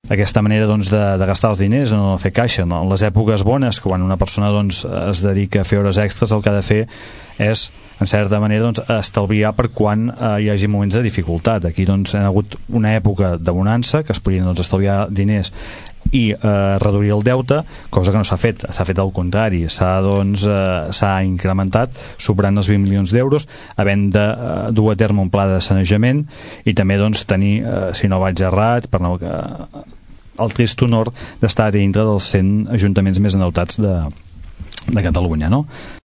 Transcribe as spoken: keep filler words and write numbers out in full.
aquesta manera doncs, de, de gastar els diners, no fer caixa. No? En les èpoques bones, quan una persona doncs, es dedica a fer hores extres, el que ha de fer és, en certa manera, doncs, estalviar per quan eh, hi hagi moments de dificultat. Aquí doncs, hi ha hagut una època de bonança, que es podien doncs, estalviar diners i eh, reduir el deute, cosa que no s'ha fet, s'ha fet al contrari, s'ha doncs, eh, s'ha incrementat, superant els vint milions d'euros, havent de eh, dur a terme un pla de sanejament i també doncs, tenir, eh, si no vaig errat, per no, eh, el trist honor d'estar dintre dels cent ajuntaments més endeutats de, de Catalunya, no?